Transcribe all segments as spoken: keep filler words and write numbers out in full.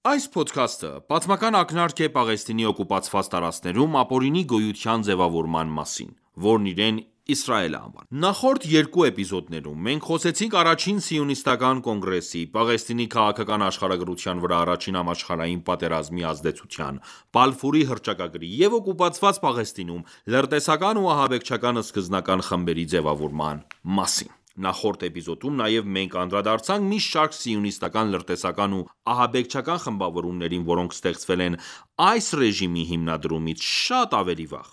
Այս փոդքասթը պատմական ակնարկ է Պաղեստինի օկուպացված տարածքներում ապօրինի գոյության ձևավորման մասին, որն իրեն Իսրայել է անվանում։ Նախորդ երկու էպիզոդներում մենք խոսեցինք առաջին սիոնիստական կոնգրեսի, Պաղեստինի քաղաքական աշխարհագրության վրա առաջին համաշխարհային պատերազմի ազդեցության, Բալֆուրի հռչակագրի և օկուպացված Պաղեստինում լրտեսական ու ահաբեկչական սկզբնական խմբերի ձևավորման մասին։ Նախորդ էպիզոդում նաև մենք անդրադարձանք մի շարք սիոնիստական լրտեսական ու ահաբեկչական խմբավորումներին, որոնք ստեղծվել են այս ռեժիմի հիմնադրումից շատ ավելի վաղ,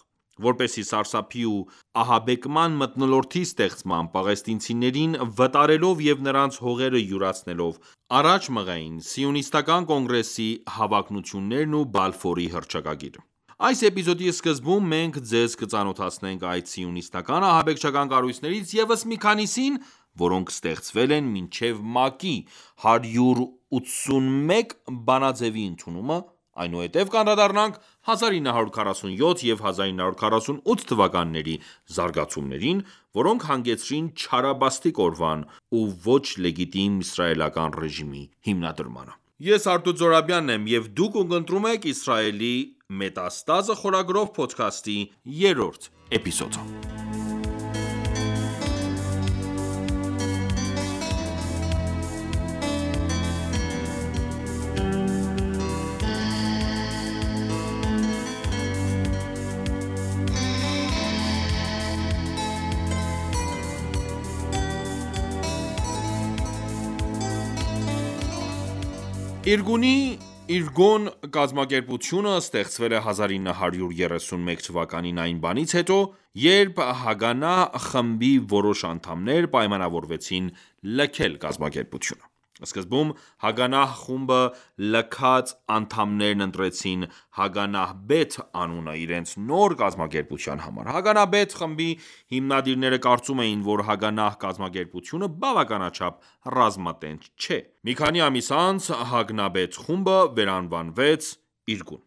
որպեսզի սարսափի ու ահաբեկման մթնոլորտի ստեղծմամբ, պաղեստինցիներին վտարելով և նրանց հողերը յուրացնելով, առաջ մղեին Սիոնիստական կոնգրեսի հավակնություններն ու Բալֆորի հռչակագիրը։ Այս էպիզոդի սկզբում մենք ձեզ կծանոթացնենք այդ սիոնիստական ահաբեկչական կառույցներից ևս մի քանիսին, որոնք ստեղծվել են մինչև ՄԱԿ-ի հարյուր ութսունմեկ բանաձեւի ընդունումը, այնուհետև կանդրադառնանք հազար ինը հարյուր քառասունյոթ և հազար ինը հարյուր քառասունութ թվականների զարգացումներին, որոնք հանգեցրին Չարաբաստիկ օրվան ու ոչ լեգիտիմ իսրայելական ռեժիմի հիմնադրմանը։ Ես Արտույտ Զոհրաբյանն եմ և դուք ունկնդրում եք «Իսրայելի մետաստազը» խորագրով փոդքասթի երրորդ էպիզոդը։ Իրգուն կազմակերպությունը ստեղծվել է հազար ինը հարյուր երեսունմեկ թվականին այն բանից հետո, երբ Հագանահ խմբի որոշ անդամներ պայմանավորվեցին լքել կազմակերպությունը։ Սկզբում Հագանահ խումբը լքած անդամներն ընտրեցին Հագանահ Բեթ անունը իրենց նոր կազմակերպության համար։ Հագանահ Բեթ խմբի հիմնադիրները կարծում էին, որ Հագանահ կազմակերպությունը բավականաչափ ռազմատենչ չէ։ Մի քանի ամիս անց Հագնահ Բեթ խումբը վերանվանվեց Իրգուն։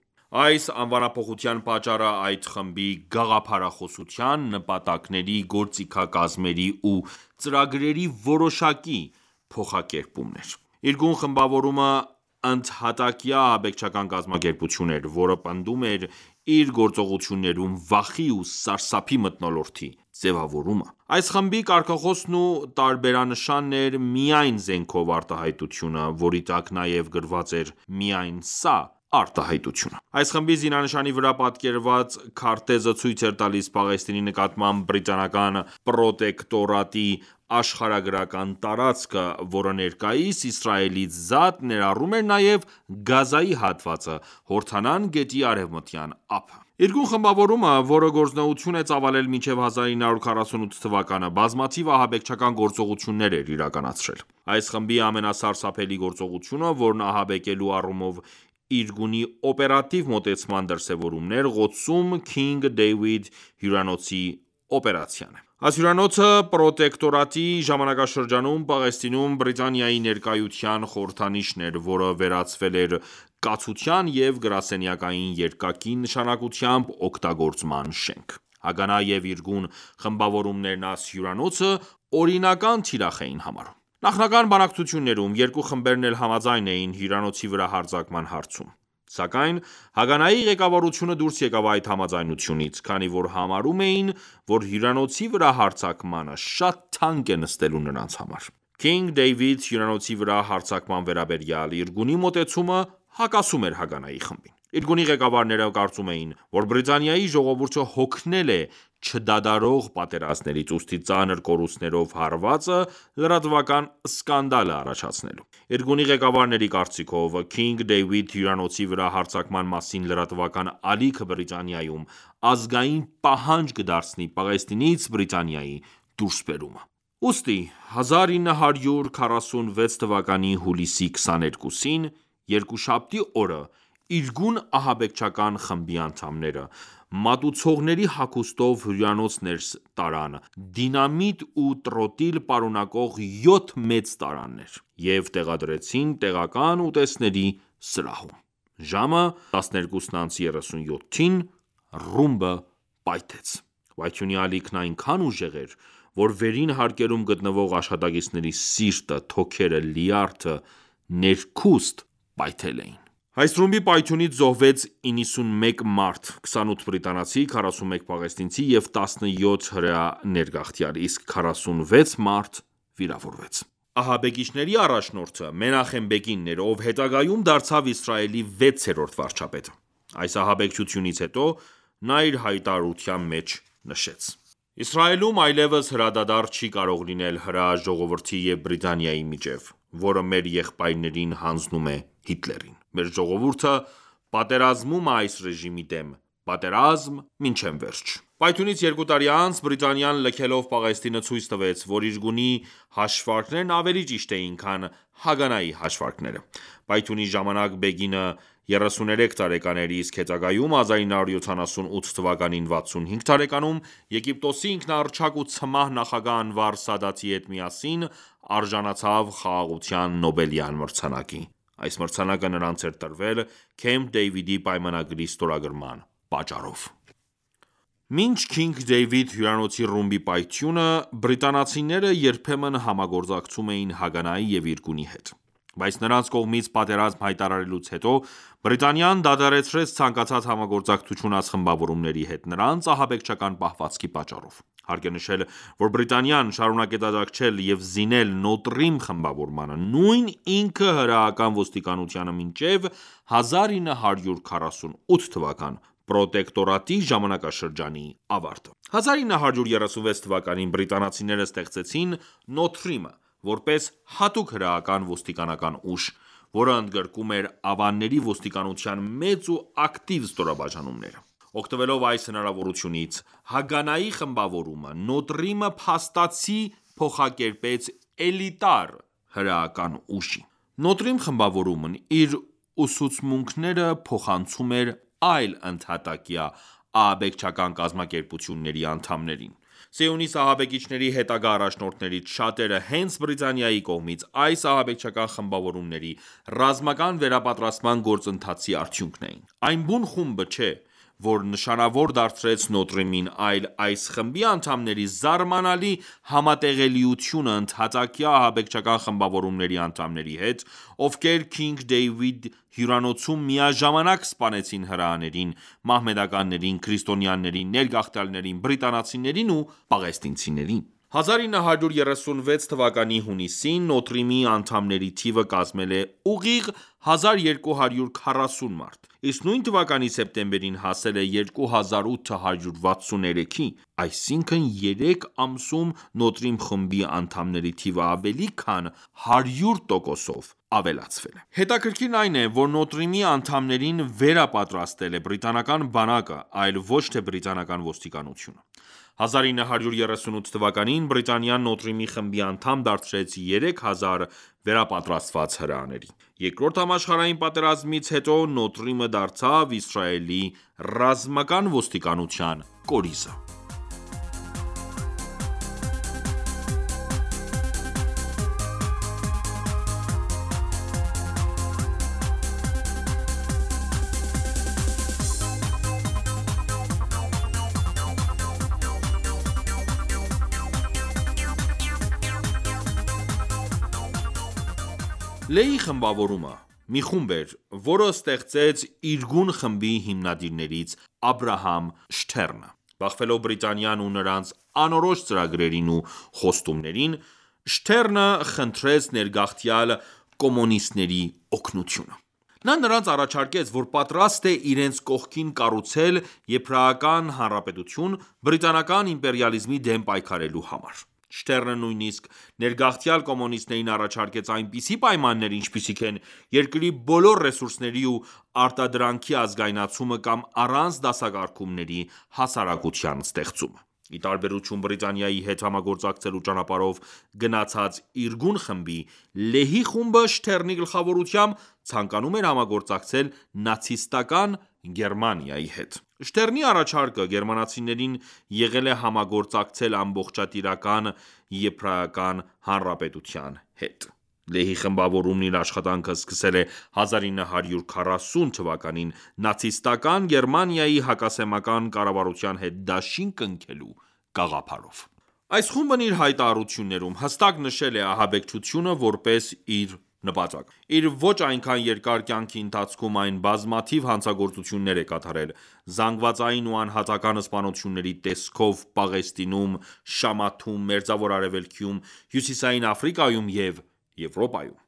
Այս անվանափոխության պատճառը այդ խմբի գաղափարախոսության, նպատակների, գործիքակազմերի ու ծրագրերի որոշակի փոխակերպումն էր։ Իրգուն խմբավորումը ընդհատակյա ահաբեկչական կազմակերպություն էր, որը պնդում էր իր գործողություններում վախի ու սարսափի մթնոլորտի ձևավորումը։ Այս խմբի կարգախոսն ու տարբերանշանն էր միայն զենքով արտահայտությունը, որի տակ նաև գրված էր միայն սա արտահայտությունը։ Այս խմբի զինանշանի վրա պատկերված քարտեզը ցույց էր տալիս Պաղեստինի նկատմամբ բրիտանական պրոտեկտորատի աշխարհագրական տարածքը, որը ներկայիս Իսրայելից զատ ներառում էր նաև Գազայի հատվածը, Հորդանան գետի արևմտյան ափը։ Իրգուն խմբավորումը, որը գործունեություն է ծավալել մինչև հազար ինը հարյուր քառասունութ թվականը, բազմաթիվ ահաբեկչական գործողություններ էր իրականացրել։ Այս խմբի ամենասարսափելի գործողությունը, որն ահաբեկելու առումով Իրգունի օպերատիվ մոտեցման դրսևորումն էր, Ղոդսում Քինգ Դեյվիդ հյուրանոցի օպերացիան է։ Այս հյուրանոցը պրոտեկտորատի ժամանակաշրջանում Պաղեստինում Բրիտանիայի ներկայության խորհրդանիշն էր, որը վերածվել էր կացության և գրասենյակային երկակի նշանակությամբ օգտագործման շենք։ Հագանահ և Իրգուն խմբավորումներն այս հյուրանոցը օրինական թիրախ էին համարում։ Նախնական բանակցություններում երկու խմբերն էլ համաձայն էին հյուրանոցի վրա հարձակման հարցում։ Սակայն Հագանահի ղեկավարությունը դուրս եկավ այդ համաձայնությունից, քանի որ համարում էին, որ հյուրանոցի վրա հարձակմանը շատ թանկ է նստելու նրանց համար։ Քինգ Դեյվիդ հյուրանոցի վրա հարձակման վերաբերյալ Իրգունի մոտեցումը հակասում էր Հագանահի խմբին։ Իրգունի ղեկավարները կարծում էին, որ Բրիտանիայի ժողովուրդը հոգնել է չդադարող պատերազմներից, ուստի ծանր կորուստներով հարվածը լրատվական սկանդալ է առաջացնելու։ Իրգունի ղեկավարների կարծիքով, Քինգ Դեյվիդ հյուրանոցի վրա հարձակման մասին լրատվական ալիքը Բրիտանիայում ազգային պահանջ կդարձնի Պաղեստինից Բրիտանիայի դուրսբերումը։ Ուստի հազար ինը հարյուր քառասունվեց թվականի հուլիսի քսաներկուսին, երկուշաբթի օրը Իրգուն ահաբեկչական խմբի անդամները մատուցողների հագուստով հյուրանոց ներս տարան դինամիտ ու տրոտիլ պարունակող յոթ մեծ տարաներ և տեղադրեցին տեղական ուտեստների սրահում։ Ժամը տասներկուսն անց երեսունյոթին ռումբը պայթեց։ Պայթյունի ալիքն այնքան ուժեղ էր, որ վերին հարկերում գտնվող աշխատակիցների սիրտը, թոքերը, լյարդը ներքուստ պայթել էին։ Այս ռումբի պայթյունից զոհվեց իննսունմեկ մարդ, քսանութ բրիտանացի, քառասունմեկ պաղեստինցի և տասնյոթ հրեա ներգաղթյալ, իսկ քառասունվեց մարդ վիրավորվեց։ Ահաբեկիչների առաջնորդը Մենախեմ Բեգինն էր, ով հետագայում դարձավ Իսրայելի վեցերորդ վարչապետը։ Այս ահաբեկչությունից հետո նա իր հայտարարության մեջ նշեց. «Իսրայելում այլևս հրադադար չի կարող լինել հրեա ժողովրդի և Բրիտանիայի միջև, որը մեր եղբայրներին հանձնում է Հիտլերին։ Մեր ժողովուրդը պատերազմում է այս ռեժիմի դեմ, պատերազմ մինչև վերջ»։ Պայթյունից երկու տարի անց Բրիտանիան լքելով Պաղեստինը ցույց տվեց, որ իր գունի հաշվարկներն ավելի ճիշտ էին, քան Հագանայի հաշվարկները։ Պայթյունի ժամանակ Բեգինը երեսուներեք տարեկան էր, իսկ հետագայում հազար ինը հարյուր յոթանասունութ թվականին վաթսունհինգ տարեկանում Եգիպտոսի ինքնահռչակ ու ցմահ նախագահ Անվար Սադաթի հետ միասին արժանացավ Խաղաղության Նոբելյան մրցանակի։ Այս մրցանակը նրանց էր տրվել Քեմփ Դեյվիդի պայմանագրի ստորագրման պատճառով։ Մինչ Քինգ Դեյվիդ հյուրանոցի ռումբի պայթյունը, բրիտանացիները երբեմն համագործակցում էին Հագանայի և իր գունի հետ։ Բայց նրանց կողմից պատերազմ հայտարարելուց հետո Բրիտանիան դադարեցրեց ցանկացած համագործակցություն այս խմբավորումների հետ՝ նրանց ահաբեկչական պահվածքի պատճառով։ Հարկ է նշել, որ Բրիտանիան շարունակեց աջակցել և զինել Նոտրիմ խմբավորմանը, նույն ինքը հրեական ոստիկանությանը մինչև հազար ինը հարյուր քառասունութ թվական պրոտեկտորատի ժամանակաշրջանի ավարտը։ հազար ինը հարյուր երեսունվեց թվականին բրիտանացիները ստեղծեցին Նոթրիմը, որպես հատուկ հրեական ոստիկանական ուժ, որը ընդգրկում էր ավանների ոստիկանության մեծ ու ակտիվ ստորաբաժանումները։ Օգտվելով այս հնարավորությունից, Հագանայի խմբավորումը Նոտրիմը փաստացի փոխակերպեց էլիտար հրեական ուժի։ Նոտրիմ խմբավորումն իր ուսուցմունքները փոխանցում էր այլ ընդհատակյա ահաբեկչական կազմակերպությունների անդամներին։ Սիոնիստ ահաբեկիչների հետագա առաջնորդներից շատերը հենց Բրիտանիայի կողմից այս ահաբեկչական խմբավորումների ռազմական վերապատրաստման գործընթացի արդյունքն էին։ Այն բուն խումբը չէ, որ նշանավոր դարձրեց Նոտրիմին, այլ այս խմբի անդամների զարմանալի համատեղելիությունը ընդհատակյա ահաբեկչական խմբավորումների անդամների հետ, ովքեր Քինգ Դեյվիդ հյուրանոցում միաժամանակ սպանեցին հրեաներին, մահմեդականներին, քրիստոնյաներին, ներգաղթյալներին, բրիտանացիներին ու պաղեստինցիներին։ հազար ինը հարյուր երեսունվեց թվականի հունիսին Նոտրիմի անդամների թիվը կազմել է ուղիղ հազար երկու հարյուր քառասուն մարդ, իսկ նույն թվականի սեպտեմբերին հասել է երկու հազար ութ հարյուր վաթսուներեքի, այսինքն երեք ամսում Նոտրիմ խմբի անդամների թիվը ավելի քան հարյուր տոկոսով ավելացվել է։ Հետաքրքիրն այն է, որ Նոտրիմի անդամներին վերապատրաստել է բրիտանական բանակը, այլ ոչ թե բրիտանական ոստիկանությունը։ հազար ինը հարյուր երեսունութ թվականին Բրիտանիան Նոտրիմի խմբի անդամ դարձրեց երեք հազար վերապատրաստված հրեաների։ Երկրորդ համաշխարհային պատերազմից հետո Նոտրիմը դարձավ Իսրայելի ռազմական ոստիկանության կորիզը։ Լեի խմբավորումը մի խումբ էր, որը ստեղծեց Իրգուն խմբի հիմնադիրներից Աբրահամ Շթերնը։ Բախվելով Բրիտանիան ու նրանց անորոշ ծրագրերին ու խոստումներին, Շթերնը խնդրեց ներգաղթյալ կոմունիստների օգնությունը։ Նա նրանց առաջարկեց, որ պատրաստ է իրենց կողքին կառուցել Եբրայական հանրապետություն բրիտանական իմպերիալիզմի դեմ պայքարելու համար։ Շթերնը նույնիսկ ներգաղթյալ կոմունիստներին առաջարկեց այնպիսի պայմաններ, ինչպիսիք են երկրի բոլոր ռեսուրսների ու արտադրանքի ազգայնացումը կամ առանց դասակարգումների հասարակության ստեղծումը։ Ի տարբերություն Բրիտանիայի հետ համագործակցելու ճանապարհով գնացած Իրգուն խմբի, Լեհի խումբը Շթերնի գլխավորությամբ ցանկանում էր համագործակցել նացիստական Գերմանիայի հետ։ Շթերնի առաջարկը գերմանացիներին եղել է համագործակցել ամբողջատիրական Եբրայական հանրապետության հետ։ Լեհի խմբավորումն իր աշխատանքը սկսել է հազար ինը հարյուր քառասուն թվականին նացիստական Գերմանիայի հակասեմական կառավարության հետ դաշին կնքելու գաղափարով։ Այս խումբն իր հայտարարություններում հստակ նշել է ահաբեկչությունը որպես իր նպատակ։ Իր ոչ այնքան երկար կյանքի ընթացքում այն բազմաթիվ հանցագործություններ է կատարել՝ զանգվածային ու անհատական սպանությունների տեսքով Պաղեստինում, Շամաթում, Մերձավոր Արևելքում, Հյուսիսային Աֆրիկայում և Եվրոպայում։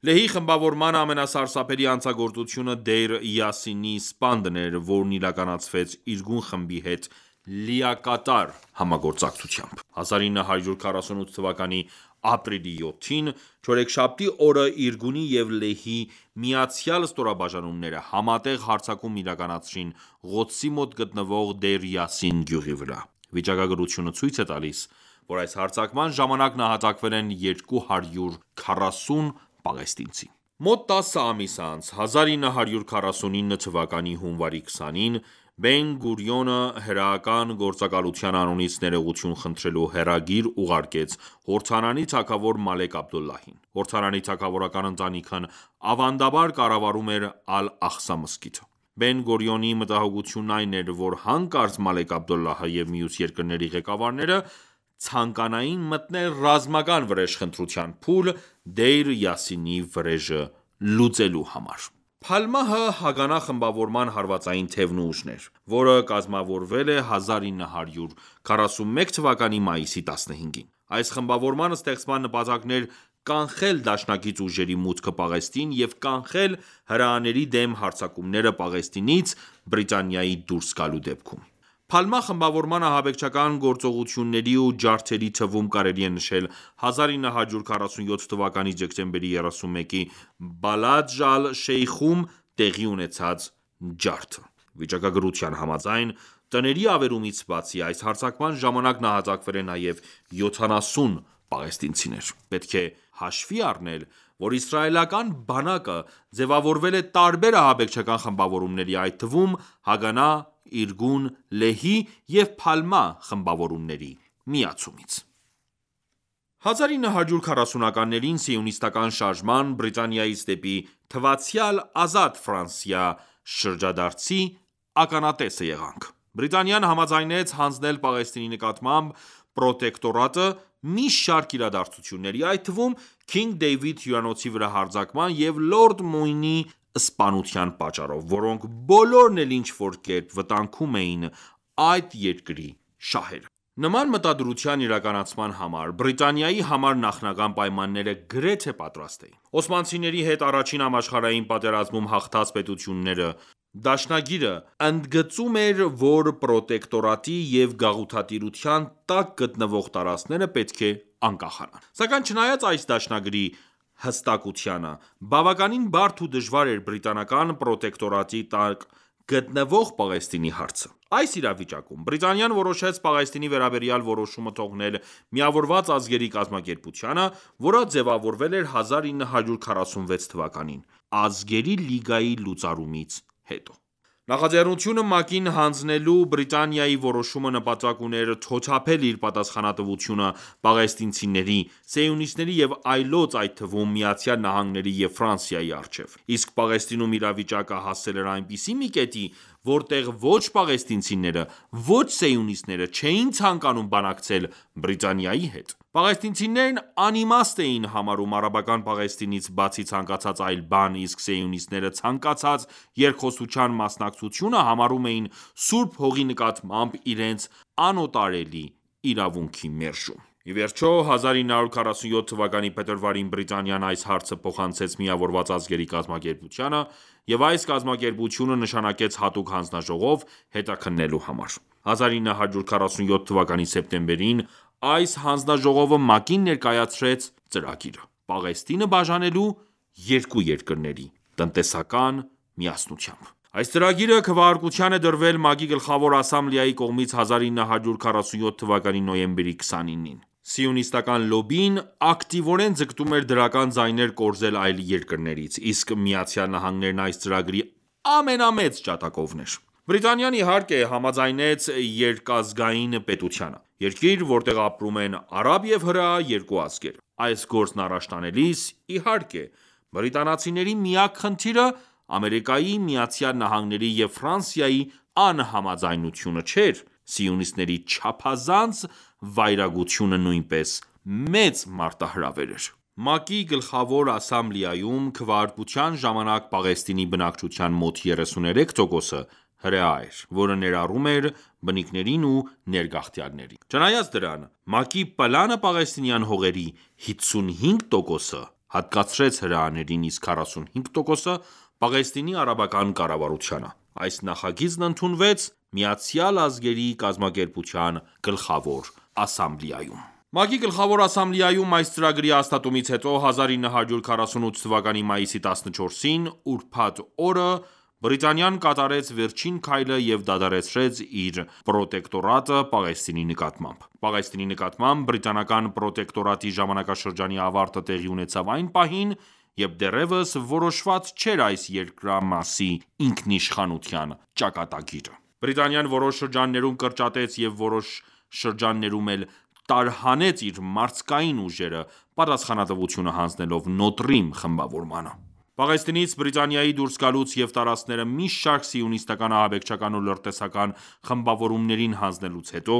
Լեհի խմբավորման ամենասարսափելի հանցագործությունը Դեյր Յասինի սպանդն էր, որն իրականացվեց իրգուն խմբի հետ լիակատար համագործակցությամբ։ հազար ինը հարյուր քառասունութ թվականի ապրիլի յոթին, չորեքշաբթի օրը Իրգունի և Լեհի միացյալ ստորաբաժանումները համատեղ հարձակում իրականացրին Ղոդսի մոտ գտնվող Դեյր Յասին գյուղի վրա։ Վիճակագրությունը ցույց է տալիս, որ այս հարձակման ժամանակ նահատակվել են երկու հարյուր քառասուն պաղեստինցի։ Մոտ տասը ամիս անց, հազար ինը հարյուր քառասունինը թվականի հունվարի քսանին, Բեն Գուրիոնը հրեական գործակալության անունից ներողություն խնդրելու հեռագիր ուղարկեց Հորդանանի թագավոր Մալեք Աբդոլլահին։ Հորդանանի թագավորական ընտանիքն ավանդաբար կառավարում էր Ալ-Աղսա մզկիթը։ Բեն Գուրիոնի մտահոգությունն այն էր, որ հանկարծ Մալեք Աբդոլլահը և մյուս երկրների ղեկավարները ցանկանային մտնել ռազմական վրեժխնդրության փուլ Դեյր Յասինի վրեժը լուծելու համար։ Փալմահը Հագանա խմբավորման հարվածային թևն ու ուժն էր, որը կազմավորվել է հազար ինը հարյուր քառասունմեկ թվականի մայիսի տասնհինգին։ Այս խմբավորման ստեղծման նպատակն էր կանխել դաշնակից ուժերի մուտքը Պաղեստին և կանխել հրեաների դեմ հարձակումները Պաղեստինից Բրիտանիայի դուրս գալու դեպքում։ Փալմահ խմբավորման ահաբեկչական գործողությունների ու ջարդերի թվում կարելի է նշել հազար ինը հարյուր քառասունյոթ թվականի դեկտեմբերի երեսունմեկի Բալաջ ալ-Շեյխում տեղի ունեցած ջարդը։ Վիճակագրության համաձայն, տների ավերումից բացի, այս հարձակման ժամանակ նահատակվել է նաև յոթանասուն պաղեստինցիներ։ Պետք է հաշվի առնել, որ իսրայելական բանակը ձևավորվել է տարբեր ահաբեկչական խմբավորումների, այդ թվում Հագանա, Իրգուն, Լեհի և Փալմահ խմբավորումների միացումից։ հազար ինը հարյուր քառասունականներին Սիոնիստական շարժման, Բրիտանիայից դեպի թվացյալ ազատ Ֆրանսիա շրջադարձի ականատեսը եղանք։ Բրիտանիան համաձայնեց հանձնել Պաղեստինի նկատմամբ պրոտեկտորատը մի շարք իրադարձությունների, այդ թվում Քինգ Դեյվիդ հյուրանոցի վրա հարձակման և Լորդ Մույնի սպանության պատճառով, որոնք բոլորն էլ ինչ-որ կերպ վտանգում էին այդ երկրի շահերը։ Նման մտադրության իրականացման համար Բրիտանիայի համար նախնական պայմանները գրեթե պատրաստ էին։ Օսմանցիների հետ առաջին համաշխարհային պատերազմում հաղթած պետությունները դաշնագիրը ընդգծում էր, որ պրոտեկտորատի և գաղութատիրության տակ գտնվող տարածքները պետք է անկախանան։ Սակայն չնայած այս դաշնագրի հստակությանը, բավականին բարդ ու դժվար էր բրիտանական պրոտեկտորատի տակ գտնվող Պաղեստինի հարցը։ Այս իրավիճակում Բրիտանիան որոշեց Պաղեստինի վերաբերյալ որոշումը թողնել Միավորված ազգերի կազմակերպությանը, որը ձևավորվել էր հազար ինը հարյուր քառասունվեց թվականին՝ Ազգերի լիգայի լուծարումից հետո։ Նախաձեռնությունը ՄԱԿ-ին հանձնելու Բրիտանիայի որոշումը նպատակ ուներ թոթափել իր պատասխանատվությունը պաղեստինցիների, սիոնիստների և այլոց, այդ թվում ԱՄՆ-ի և Ֆրանսիայի առջև։ Իսկ Պաղեստինում իրավիճակը հասել էր այնպիսի մի կետի, որտեղ ոչ պաղեստինցիները, ոչ սիոնիստները չէին ցանկանում բանակցել Բրիտանիայի հետ։ Պաղեստինցիներն անիմաստ էին համարում արաբական Պաղեստինից բացի ցանկացած այլ բան, իսկ սիոնիստները ցանկացած երկխոսության մասնակցությունը համարում էին Սուրբ Հողի նկատմամբ իրենց անօտարելի իրավունքի մերժում։ Ի վերջո, հազար ինը հարյուր քառասունյոթ թվականի փետրվարին Բրիտանիան այս հարցը փոխանցեց Միավորված ազգերի կազմակերպությանը, և այս կազմակերպությունը նշանակեց հատուկ հանձնաժողով՝ հետաքննելու համար։ հազար ինը հարյուր քառասունյոթ թվականի սեպտեմբերին այս հանձնաժողովը ՄԱԿ-ին ներկայացրեց ծրագիրը՝ Պաղեստինը բաժանելու երկու երկրների տնտեսական միասնությամբ։ Այս ծրագիրը քվեարկության է դրվել ՄԱԿ-ի Գլխավոր ասամբլեայի կողմից հազար ինը հարյուր քառասունյոթ թվականի նոյեմբերի քսանինին։ Սիոնիստական լոբբին ակտիվորեն ձգտում էր դրական ձայներ կորզել այլ երկրներից, իսկ ԱՄՆ-ն այս ծրագրի ամենամեծ ջատագովն էր։ Բրիտանիան, իհարկե, համաձայնեց երկազգային պետությանը։ Երկիր, որտեղ ապրում են արաբ և հրեա երկու ազգեր։ Այս գործն առաջ տանելիս, իհարկե, բրիտանացիների միակ խնդիրը Ամերիկայի Միացյալ Նահանգների և Ֆրանսիայի անհամաձայնությունը չէր, սիոնիստների չափազանց վայրագությունը նույնպես մեծ մարտահրավեր էր։ ՄԱԿ-ի Գլխավոր ասամբլեայում քվեարկության ժամանակ Պաղեստինի բնակչության մոտ երեսուներեք տոկոսը հրեա էր, որը ներառում էր բնիկներին ու ներգաղթյալներին: Չնայած դրան, ՄԱԿ-ի պլանը պաղեստինյան հողերի հիսունհինգ տոկոսը հատկացրեց հրեաներին, իսկ քառասունհինգ տոկոսը Պաղեստինի արաբական կառավարությանը: Այս նախագիծն ընդունվեց Միացյալ ազգերի կազմակերպության Գլխավոր ասամբլեայում: ՄԱԿ-ի Գլխավոր ասամբլեայում այս ծրագրի հաստատումից հետո, հազար ինը հարյուր քառասունութ թվականի մայիսի տասնչորսին, ուրբաթ օրը, Բրիտանիան կատարեց վերջին քայլը և դադարեցրեց իր պրոտեկտորատը Պաղեստինի նկատմամբ: Պաղեստինի նկատմամբ բրիտանական պրոտեկտորատի ժամանակաշրջանի ավարտը տեղի ունեցավ այն պահին, երբ դեռևս որոշված չէր այս երկրամասի ինքնիշխանության ճակատագիրը: Բրիտանիան որոշ շրջաններում կրճատեց և որոշ շրջաններում էլ տարհանեց իր մարդկային ուժերը, պատասխանատվությունը հանձնելով Նոտրիմ խմբավորմանը: Պաղեստինից Բրիտանիայի դուրս գալուց և տարածքները մի շարք սիոնիստական ահաբեկչական ու լրտեսական խմբավորումներին հանձնելուց հետո,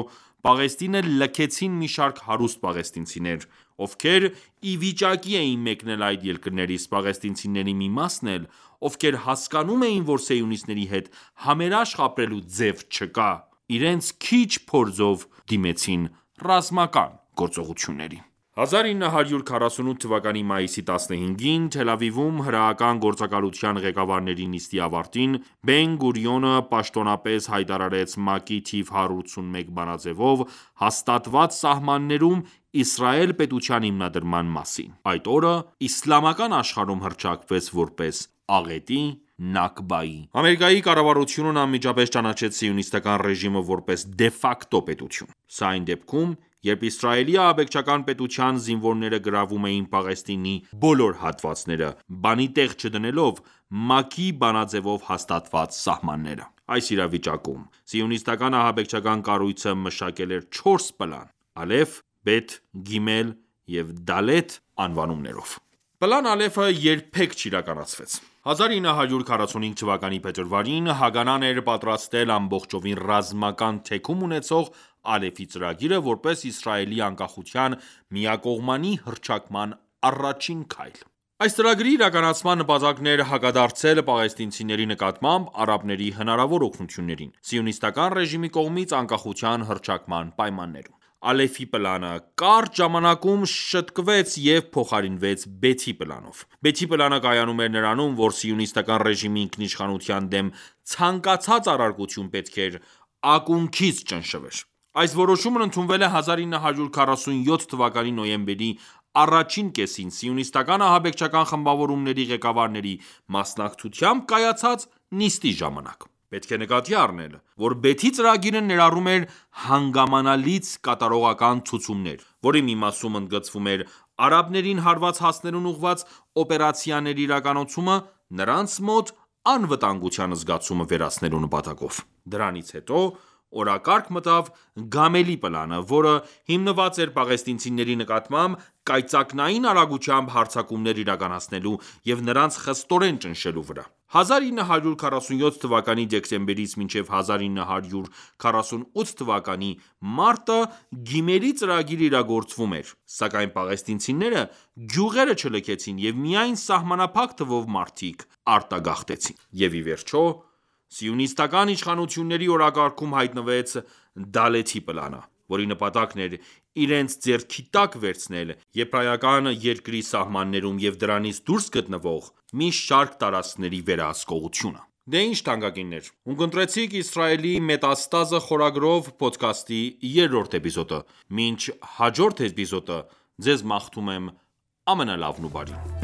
Պաղեստինը լքեցին մի շարք հարուստ պաղեստինցիներ, ովքեր ի վիճակի էին մեկնել այդ երկրներից: Պաղեստինցիների մի մասն էլ, ովքեր հասկանում էին, որ սիոնիստների հետ համերաշխ ապրելու ձև չկա, իրենց քիչ փորձով դիմեցին ռազմական գործողությունների: հազար ինը հարյուր քառասունութ թվականի մայիսի տասնհինգին, Թել Ավիվում հրեական գործակալության ղեկավարների նիստի ավարտին, Բեն-Գուրիոնը պաշտոնապես հայտարարեց ՄԱԿ-ի թիվ հարյուր ութսունմեկ բանաձևով հաստատված սահմաններում Իսրայել պետության հիմնադրման մասին: Այդ օրը իսլամական աշխարհում հռչակվեց որպես աղետի, Նաքբայի: Ամերիկայի կառավարությունն անմիջապես ճանաչեց սիոնիստական ռեժիմը որպես դե ֆակտո պետություն: Սա այն դեպքում, երբ Իսրայելի ահաբեկչական պետության զինվորները գրավում էին Պաղեստինի բոլոր հատվածները, բանի տեղ չդնելով ՄԱԿ-ի բանաձևով հաստատված սահմանները: Այս իրավիճակում, սիոնիստական ահաբեկչական կառույցը մշակել էր չորս պլան՝ Ալեֆ, Բեթ, Գիմել և Դալեթ անվանումներով: Պլան Ալեֆը երբեք չիրականացվեց: հազար ինը հարյուր քառասունհինգ թվականի փետրվարին, Հագանան էր պատրաստել ամբողջովին ռազմական թեքում ունեցող Ալեֆի ծրագիրը, որպես Իսրայելի անկախության միակողմանի հռչակման առաջին քայլ: Այս ծրագրի իրականացման նպատակն էր հակադարձել պաղեստինցիների նկատմամբ արաբների հնարավոր օգնություններին՝ սիոնիստական ռեժիմի կողմից անկախության հռչակման պայմաններում: Ալեֆի պլանը կարճ ժամանակում շտկվեց և փոխարինվեց Բեթի պլանով: Բեթի պլանը կայանում էր նրանում, որ սիոնիստական ռեժիմի ինքնիշխանության դեմ ցանկացած առարկություն պետք էր ակունքից ճնշվեր: Այս որոշումն ընդունվել է հազար ինը հարյուր քառասունյոթ թվականի նոյեմբերի առաջին կեսին սիոնիստական ահաբեկչական խմբավորումների ղեկավարների մասնակցությամբ կայացած նիստի ժամանակ: Պետք է նկատի առնել, որ Բեթի ծրագիրը ներառում էր հանգամանալից կատարողական ցուցումներ, որի մի մասում ընդգծվում էր արաբներին հարված հասնելուն ուղղված օպերացիաների իրականացումը՝ նրանց մոտ անվտանգության զգացումը վերացնելու նպատակով: Դրանից հետո օրակարգ մտավ Գամելի պլանը, որը հիմնված էր պաղեստինցիների նկատմամբ կայծակնային արագությամբ հարձակումներ իրականացնելու և նրանց խստորեն ճնշելու վրա: հազար ինը հարյուր քառասունյոթ թվականի դեկտեմբերից մինչև հազար ինը հարյուր քառասունութ թվականի մարտը Գիմելի ծրագիրը իրագործվում էր, սակայն պաղեստինցիները գյուղերը չլքեցին և միայն սահմանափակ թվով մարդիկ արտագաղթեցին: Եվ ի վերջո, սիոնիստական իշխանությունների օրակարգում հայտնվեց Դալեթի պլանը, որի նպատակն էր իրենց ձեռքի տակ վերցնել եբրայական երկրի սահմաններում և դրանից դուրս գտնվող մի շարք տարածքների վերահսկողությունը: Դե ինչ թանկագիններ, ունկնդրեցիք «Իսրայելի մետաստազը» խորագրով փոդքասթի երրորդ էպիզոդը: Մինչ հաջորդ էպիզոդը, ձեզ մաղթում եմ ամենալավն ու բարին: